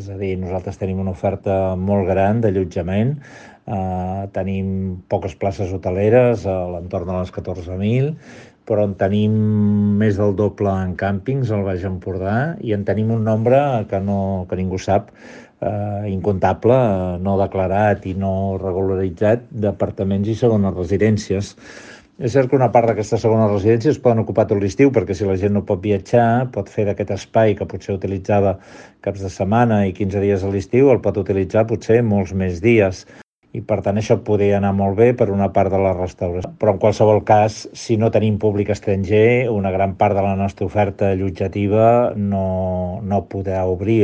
És a dir, nosaltres tenim una oferta molt gran d'allotjament, tenim poques places hoteleres, a l'entorn de les 14.000, però en tenim més del doble en càmpings al Baix Empordà i en tenim un nombre que ningú sap, incomptable, no declarat i no regularitzat, d'apartaments i segones residències. És cert que una part d'aquestes segones residències es poden ocupar tot l'estiu, perquè si la gent no pot viatjar, pot fer d'aquest espai que potser utilitzava caps de setmana i 15 dies a l'estiu, el pot utilitzar potser molts més dies. I per tant això podria anar molt bé per una part de la restauració. Però en qualsevol cas, si no tenim públic estranger, una gran part de la nostra oferta allotjativa no podrà obrir